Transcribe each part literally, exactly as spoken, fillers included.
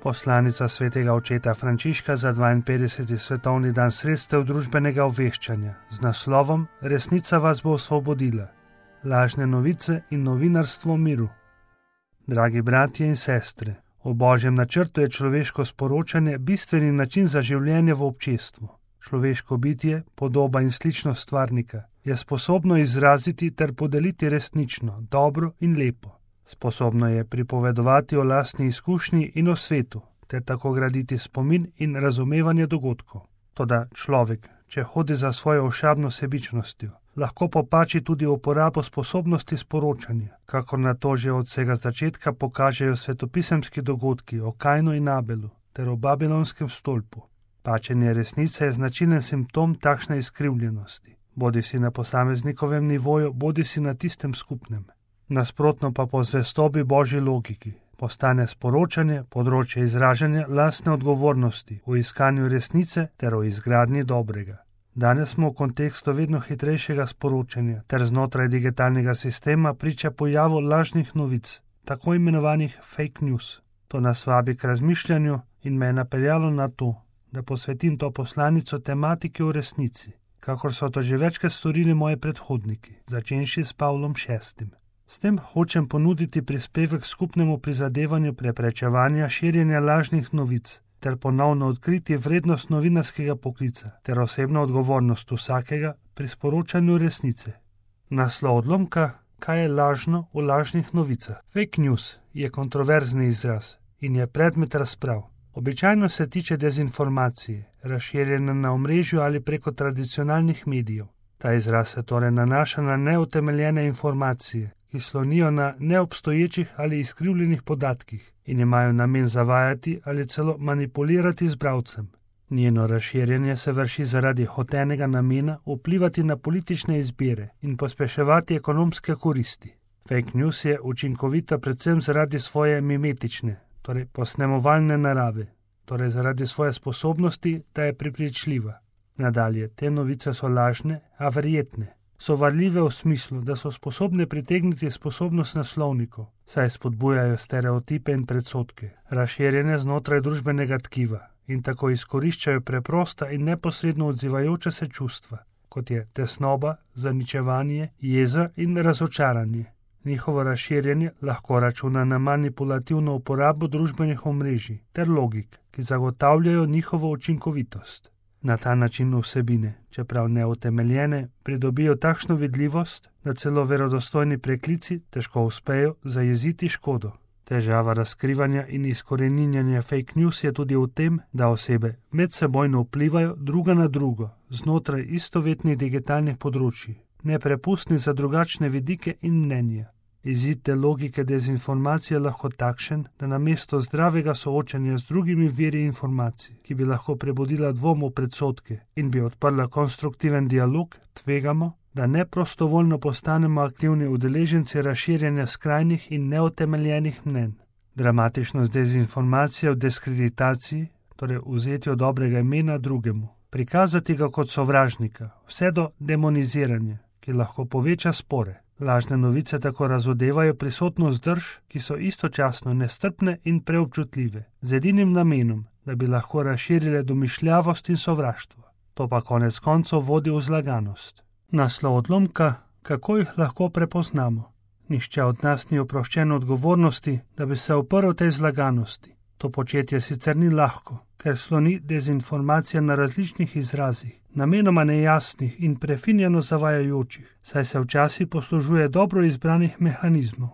Poslanica svetega očeta Frančiška za dvainpetdeseti svetovni dan sredstev družbenega obveščanja z naslovom Resnica vas bo osvobodila. Lažne novice in novinarstvo miru. Dragi bratje in sestre, v Božjem načrtu je človeško sporočanje bistveni način za življenje v občestvu. Človeško bitje, podoba in sličnost stvarnika, je sposobno izraziti ter podeliti resnično, dobro in lepo. Sposobno je pripovedovati o lastni izkušnji in o svetu, ter tako graditi spomin in razumevanje dogodkov. Toda človek, če hodi za svojo ošabno sebičnostjo, lahko popači tudi uporabo sposobnosti sporočanja, kakor na to že od vsega začetka pokažejo svetopisemski dogodki o Kainu in Abelu ter o Babilonskem stolpu. Pačenje resnice je značilen simptom takšne izkrivljenosti, bodi si na posameznikovem nivoju, bodi si na tistem skupnem. Nasprotno pa po zvestobi Božji logiki postane sporočanje področje izražanja lastne odgovornosti v iskanju resnice ter o izgradnji dobrega. Danes smo v kontekstu vedno hitrejšega sporočanja ter znotraj digitalnega sistema priča pojavu lažnih novic, tako imenovanih fake news. To nas vabi k razmišljanju in me je napeljalo na to, da posvetim to poslanico tematiki v resnici, kakor so to že večkrat storili moji predhodniki, začenši s Pavlom šestim. S tem hočem ponuditi prispevek skupnemu prizadevanju preprečevanja širjenja lažnih novic ter ponovno odkriti vrednost novinarskega poklica ter osebno odgovornost vsakega pri sporočanju resnice. Naslov odlomka: kaj je lažno v lažnih novicah? Fake news je kontroverzni izraz in je predmet razprav. Običajno se tiče dezinformacije, razširjene na omrežju ali preko tradicionalnih medijev. Ta izraz se torej nanaša na neutemeljene informacije, ki slonijo na neobstoječih ali izkrivljenih podatkih in imajo namen zavajati ali celo manipulirati z bralcem. Njeno razširjanje se vrši zaradi hotenega namena vplivati na politične izbire in pospeševati ekonomske koristi. Fake news je učinkovita predvsem zaradi svoje mimetične, torej posnemovalne narave, torej zaradi svoje sposobnosti, da je prepričljiva. Nadalje, te novice so lažne, a verjetne. So varljive v smislu, da so sposobne pritegniti sposobnost naslovnikov, saj spodbujajo stereotipe in predsodke, razširjene znotraj družbenega tkiva in tako izkoriščajo preprosta in neposredno odzivajoča se čustva, kot je tesnoba, zaničevanje, jeza in razočaranje. Njihovo razširjanje lahko računa na manipulativno uporabo družbenih omrežij ter logik, ki zagotavljajo njihovo učinkovitost. Na ta način vsebine, čeprav neutemeljene, pridobijo takšno vidljivost, da celo verodostojni preklici težko uspejo zajeziti škodo. Težava razkrivanja in izkoreninjanja fake news je tudi v tem, da osebe medsebojno vplivajo druga na drugo znotraj istovetnih digitalnih področij, neprepustni za drugačne vidike in mnenja. Izid te logike dezinformacije je lahko takšen, da namesto zdravega soočanja z drugimi viri informacij, ki bi lahko prebudila dvom v predsodke in bi odprla konstruktiven dialog, tvegamo, da neprostovoljno postanemo aktivni udeleženci razširjanja skrajnih in neutemeljenih mnenj. Dramatičnost dezinformacije v diskreditaciji, torej vzetju dobrega imena drugemu, prikazati ga kot sovražnika, vse do demoniziranja, ki lahko poveča spore. Lažne novice tako razodevajo prisotnost drž, ki so istočasno nestrpne in preobčutljive, z edinim namenom, da bi lahko razširile domišljavost in sovraštvo. To pa konec koncev vodi v zlaganost. Naslov odlomka: kako jih lahko prepoznamo? Nihče od nas ni oproščen odgovornosti, da bi se uprl tej zlaganosti. To početje sicer ni lahko, ker sloni dezinformacija na različnih izrazih, namenoma nejasnih in prefinjeno zavajajočih, saj se včasih poslužuje dobro izbranih mehanizmov.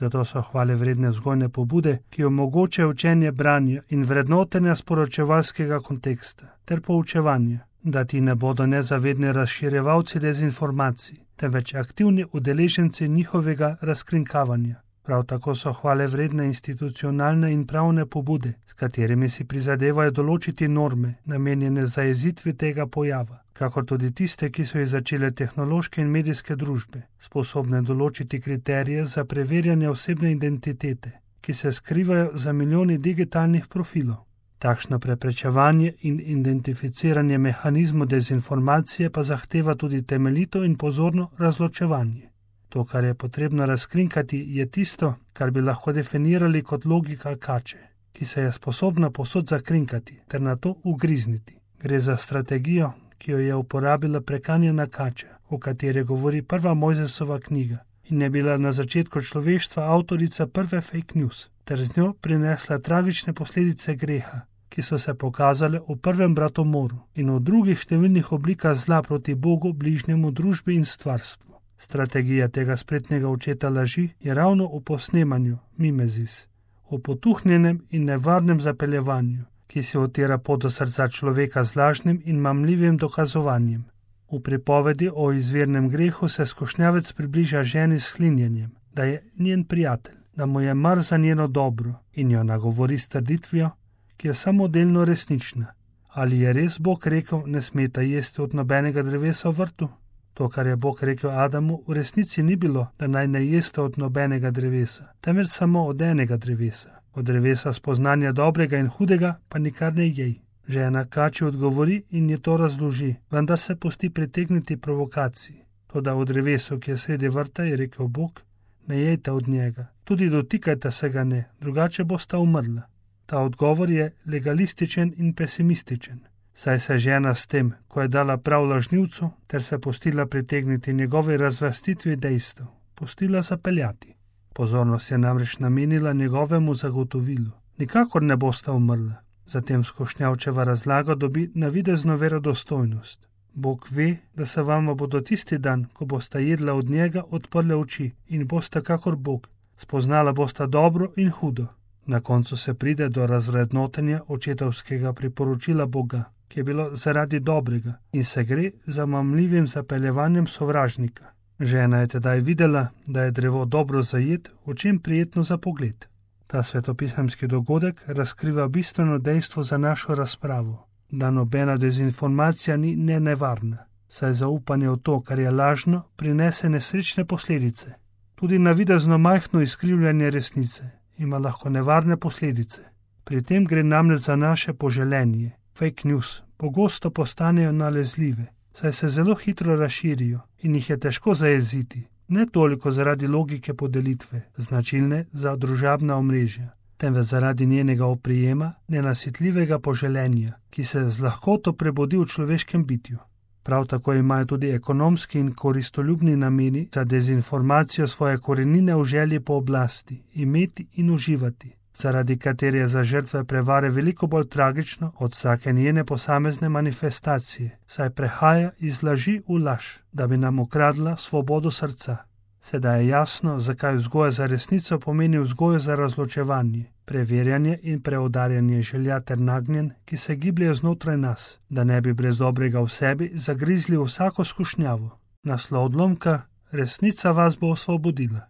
Zato so hvale vredne vzgojne pobude, ki omogočajo učenje branja in vrednotenja sporočevalskega konteksta ter poučevanja, da ti ne bodo nezavedni razširjevalci dezinformacij, temveč aktivni udeleženci njihovega razkrinkavanja. Prav tako so hvale vredne institucionalne in pravne pobude, s katerimi si prizadevajo določiti norme, namenjene zajezitvi tega pojava, kakor tudi tiste, ki so jih začele tehnološke in medijske družbe, sposobne določiti kriterije za preverjanje osebne identitete, ki se skrivajo za milijoni digitalnih profilov. Takšno preprečevanje in identificiranje mehanizmov dezinformacije pa zahteva tudi temeljito in pozorno razločevanje. To, kar je potrebno razkrinkati, je tisto, kar bi lahko definirali kot logika kače. ki se je sposobna povsod zakrinkati ter na to ugrizniti. Gre za strategijo, ki jo je uporabila prekanjena kača, o kateri govori prva Mojzesova knjiga in je bila na začetku človeštva avtorica prve fake news, ter z njo prinesla tragične posledice greha, ki so se pokazale v prvem bratomoru in v drugih številnih oblikah zla proti Bogu, bližnjemu, družbi in stvarstvu. Strategija tega spretnega očeta laži je ravno v posnemanju mimezis, v potuhnjenem in nevarnem zapeljevanju, ki si otira pot do srca človeka z lažnim in mamljivim dokazovanjem. V pripovedi o izvirnem grehu se skušnjavec približa ženi s hlinjenjem, da je njen prijatelj, da mu je mar za njeno dobro in jo nagovori s trditvijo, ki je samo delno resnična. Ali je res Bog rekel, ne smeta jesti od nobenega drevesa v vrtu? To, kar je Bog rekel Adamu, v resnici ni bilo, da naj ne jeste od nobenega drevesa, temveč samo od enega drevesa. Od drevesa spoznanja dobrega in hudega pa nikar ne jej. Žena kači odgovori in je to razloži, vendar se pusti pritegniti provokaciji. Toda v drevesu, ki je sredi vrta, je rekel Bog, ne jejte od njega, tudi dotikajte se ga ne, drugače bosta umrla. Ta odgovor je legalističen in pesimističen, saj se žena s tem, ko je dala prav lažnivcu, ter se pustila pritegniti njegovi razvrstitvi dejstev, pustila zapeljati. Pozornost je namreč namenila njegovemu zagotovilu. Nikakor ne bosta umrla. Zatem skušnjavčeva razlaga dobi navidezno verodostojnost. Bog ve, da se vama bodo tisti dan, ko bosta jedla od njega, odprle oči in bosta kakor Bog. Spoznala bosta dobro in hudo. Na koncu se pride do razvrednotenja očetovskega priporočila Boga, ki je bilo zaradi dobrega in se gre za mamljivim zapeljevanjem sovražnika. Žena je tedaj videla, da je drevo dobro zajet, v čem prijetno za pogled. Ta svetopisemski dogodek razkriva bistveno dejstvo za našo razpravo, da nobena dezinformacija ni nenevarna, saj zaupanje v to, kar je lažno, prinese nesrečne posledice. Tudi navidezno majhno izkrivljanje resnice ima lahko nevarne posledice. Pri tem gre namreč za naše poželenje. Fake news pogosto postanejo nalezljive, saj se zelo hitro razširijo in jih je težko zajeziti. Ne toliko zaradi logike podelitve, značilne za družabna omrežja, temveč zaradi njenega oprijema, nenasitljivega poželenja, ki se z lahkoto prebudi v človeškem bitju. Prav tako imajo tudi ekonomski in koristoljubni nameni za dezinformacijo svoje korenine v želji po oblasti, imeti in uživati, zaradi katere je za žrtve prevare veliko bolj tragično od vsake njene posamezne manifestacije, saj prehaja iz laži v laž, da bi nam ukradla svobodo srca. Sedaj je jasno, zakaj vzgoja za resnico pomeni vzgojo za razločevanje, preverjanje in preudarjanje želja ter nagnjen, ki se gibljejo znotraj nas, da ne bi brez dobrega v sebi zagrizli vsako skušnjavo. Naslov odlomka: Resnica vas bo osvobodila.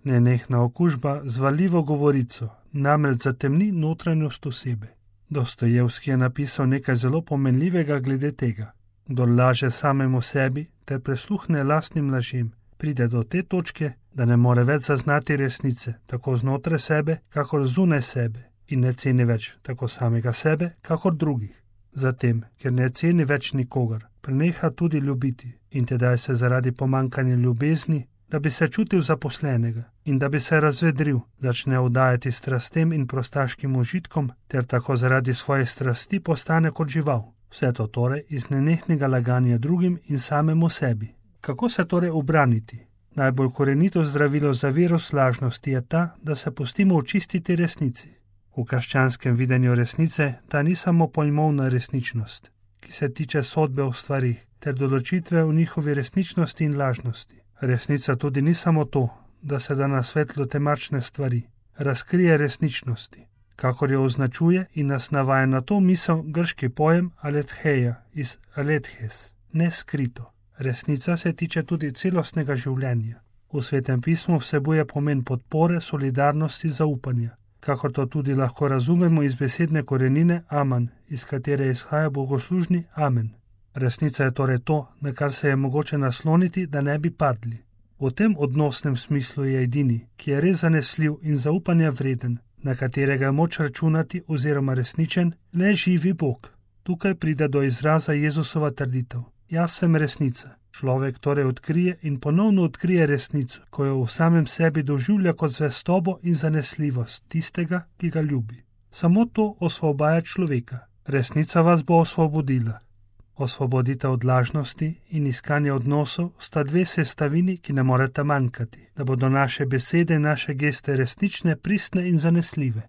Nenehna okužba z valjivo govorico namreč zatemni notranjost osebe. Dostojevski je napisal nekaj zelo pomenljivega glede tega. Kdor laže samemu sebi ter presluhne lastnim lažem, pride do te točke, da ne more več zaznati resnice, tako znotraj sebe, kakor zunaj sebe, in ne ceni več tako samega sebe, kakor drugih. Zatem, ker ne ceni več nikogar, preneha tudi ljubiti in tedaj se zaradi pomanjkanja ljubezni, da bi se čutil zaposlenega in da bi se razvedril, začne vdajati strastem in prostaškim užitkom, ter tako zaradi svoje strasti postane kot žival. Vse to torej iz nenehnega laganja drugim in samemu sebi. Kako se torej ubraniti? Najbolj korenito zdravilo za virus lažnosti je ta, da se pustimo očistiti resnici. V krščanskem videnju resnice ta ni samo pojmovna resničnost, ki se tiče sodbe o stvarih ter določitve v njihovi resničnosti in lažnosti. Resnica tudi ni samo to, da se da na svetlo temačne stvari, razkrije resničnosti, kakor jo označuje in nas navaja na to misel grški pojem aletheia iz alethes, neskrito. Resnica se tiče tudi celostnega življenja. V Svetem pismu vsebuje pomen podpore, solidarnosti, zaupanja, kakor to tudi lahko razumemo iz besedne korenine amen, iz katere izhaja bogoslužni amen. Resnica je torej to, na kar se je mogoče nasloniti, da ne bi padli. V tem odnosnem smislu je edini, ki je res zanesljiv in zaupanja vreden, na katerega je moč računati oziroma resničen, le živi Bog. Tukaj pride do izraza Jezusova trditev: Jaz sem resnica. Človek torej odkrije in ponovno odkrije resnico, ko jo v samem sebi doživlja kot zvestobo in zanesljivost tistega, ki ga ljubi. Samo to osvobaja človeka. Resnica vas bo osvobodila. Osvoboditev od lažnosti in iskanje odnosov sta dve sestavini, ki ne moreta manjkati, da bodo naše besede in naše geste resnične, pristne in zanesljive.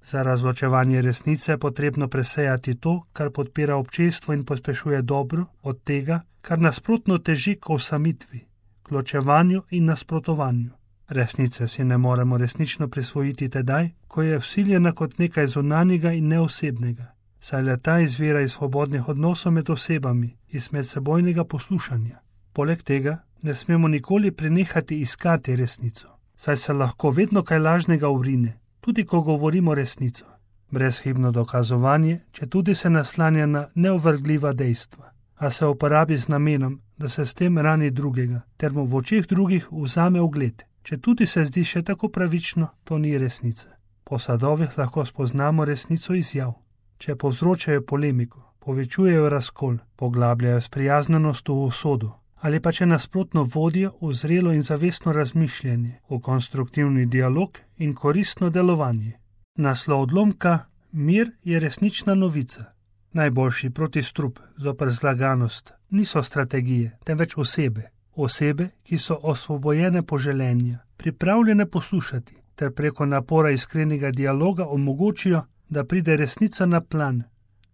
Za razločevanje resnice je potrebno presejati to, kar podpira občestvo in pospešuje dobro, od tega, kar nasprotno teži k osamitvi, k ločevanju in nasprotovanju. Resnice si ne moremo resnično prisvojiti tedaj, ko je vsiljena kot nekaj zunanjega in neosebnega, saj le ta izvira iz svobodnih odnosov med osebami, iz medsebojnega poslušanja. Poleg tega ne smemo nikoli prenehati iskati resnico, saj se lahko vedno kaj lažnega vrine, tudi ko govorimo resnico. Brezhibno dokazovanje, če tudi se naslanja na neovrgljiva dejstva, a se uporabi z namenom, da se s tem rani drugega, ter mu v očeh drugih vzame ugled. Če tudi se zdi še tako pravično, to ni resnica. Po sadovih lahko spoznamo resnico izjav. Če povzročajo polemiko, povečujejo razkol, poglabljajo sprijaznenost v usodo, ali pa če nasprotno vodijo v zrelo in zavestno razmišljanje, v konstruktivni dialog in koristno delovanje. Naslov odlomka: Mir je resnična novica. Najboljši protistrup zoper zlaganost niso strategije, temveč osebe. Osebe, ki so osvobojene poželenja, pripravljene poslušati, ter preko napora iskrenega dialoga omogočijo, da pride resnica na plan.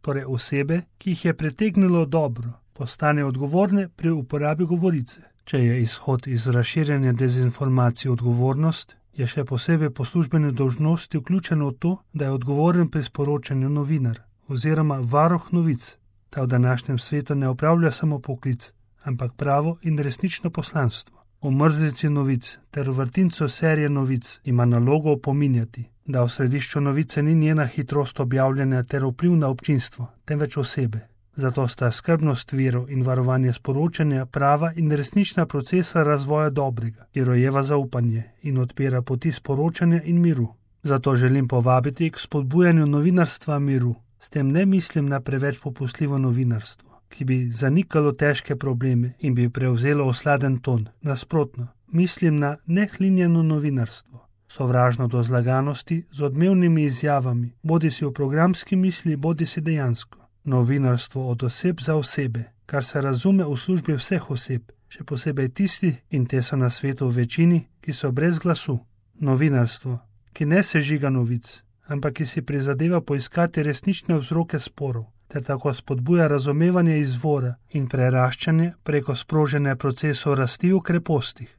Torej osebe, ki jih je pritegnilo dobro, postane odgovorne pri uporabi govorice. Če je izhod iz razširjanja dezinformacij odgovornost, je še posebej po službeni dolžnosti vključeno v to, da je odgovoren pri sporočanju novinar oziroma varuh novic. Ta v današnjem svetu ne opravlja samo poklic, ampak pravo in resnično poslanstvo. V mrzlici novic ter v vrtincu serije novic ima nalogo opominjati, da v središču novice ni njena hitrost objavljanja ter vpliv na občinstvo, temveč osebe. Zato sta skrbnost virov in varovanje sporočanja prava in resnična procesa razvoja dobrega, ki rojeva zaupanje in odpira poti sporočanja in miru. Zato želim povabiti k spodbujanju novinarstva miru. S tem ne mislim na preveč popustljivo novinarstvo, ki bi zanikalo težke probleme in bi prevzelo osladen ton. Nasprotno, mislim na nehlinjeno novinarstvo, sovražno do zlaganosti z odmevnimi izjavami, bodi si v programski misli, bodi si dejansko. Novinarstvo od oseb za osebe, kar se razume v službi vseh oseb, še posebej tistih, in te so na svetu v večini, ki so brez glasu. Novinarstvo, ki ne sežiga novic, ampak ki si prizadeva poiskati resnične vzroke sporov, ter tako spodbuja razumevanje izvora in preraščanje preko sproženja procesov rasti v krepostih.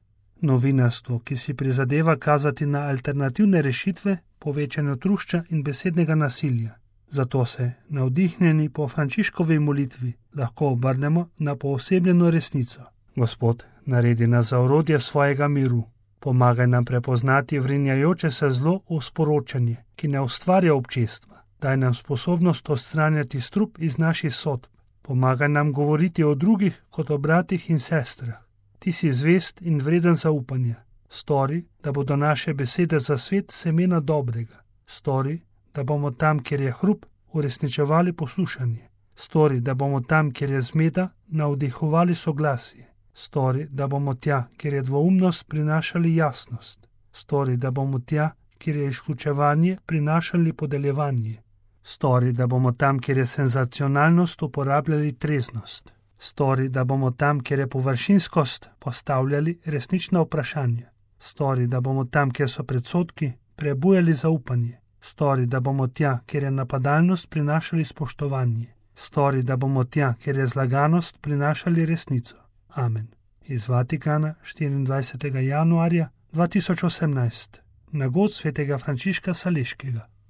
Novinarstvo, ki si prizadeva kazati na alternativne rešitve, povečanju trušča in besednega nasilja. Zato se, navdihnjeni po Frančiškovi molitvi, lahko obrnemo na poosebljeno resnico. Gospod, naredi nas za orodje svojega miru. Pomagaj nam prepoznati vrinjajoče se zlo v sporočanje, ki ne ustvarja občestva. Daj nam sposobnost odstranjati strup iz naših sodb. Pomagaj nam govoriti o drugih kot o bratih in sestrah. Ti si zvest in vreden zaupanja. Stori, da bodo naše besede za svet semena dobrega. Stori, da bomo tam, kjer je hrup, uresničevali poslušanje. Stori, da bomo tam, kjer je zmeda, navdihovali soglasje. Stori, da bomo tja, kjer je dvoumnost, prinašali jasnost. Stori, da bomo tja, kjer je izključevanje, prinašali podeljevanje. Stori, da bomo tam, kjer je senzacionalnost, uporabljali treznost. Stori, da bomo tam, kjer je površinskost, postavljali resnična vprašanja. Stori, da bomo tam, kjer so predsodki, prebujali zaupanje. Stori, da bomo tja, kjer je napadalnost, prinašali spoštovanje. Stori, da bomo tja, kjer je zlaganost, prinašali resnico. Amen. Iz Vatikana, štiriindvajsetega januarja dva tisoč osemnajst. Na god svetega Frančiška Saleškega.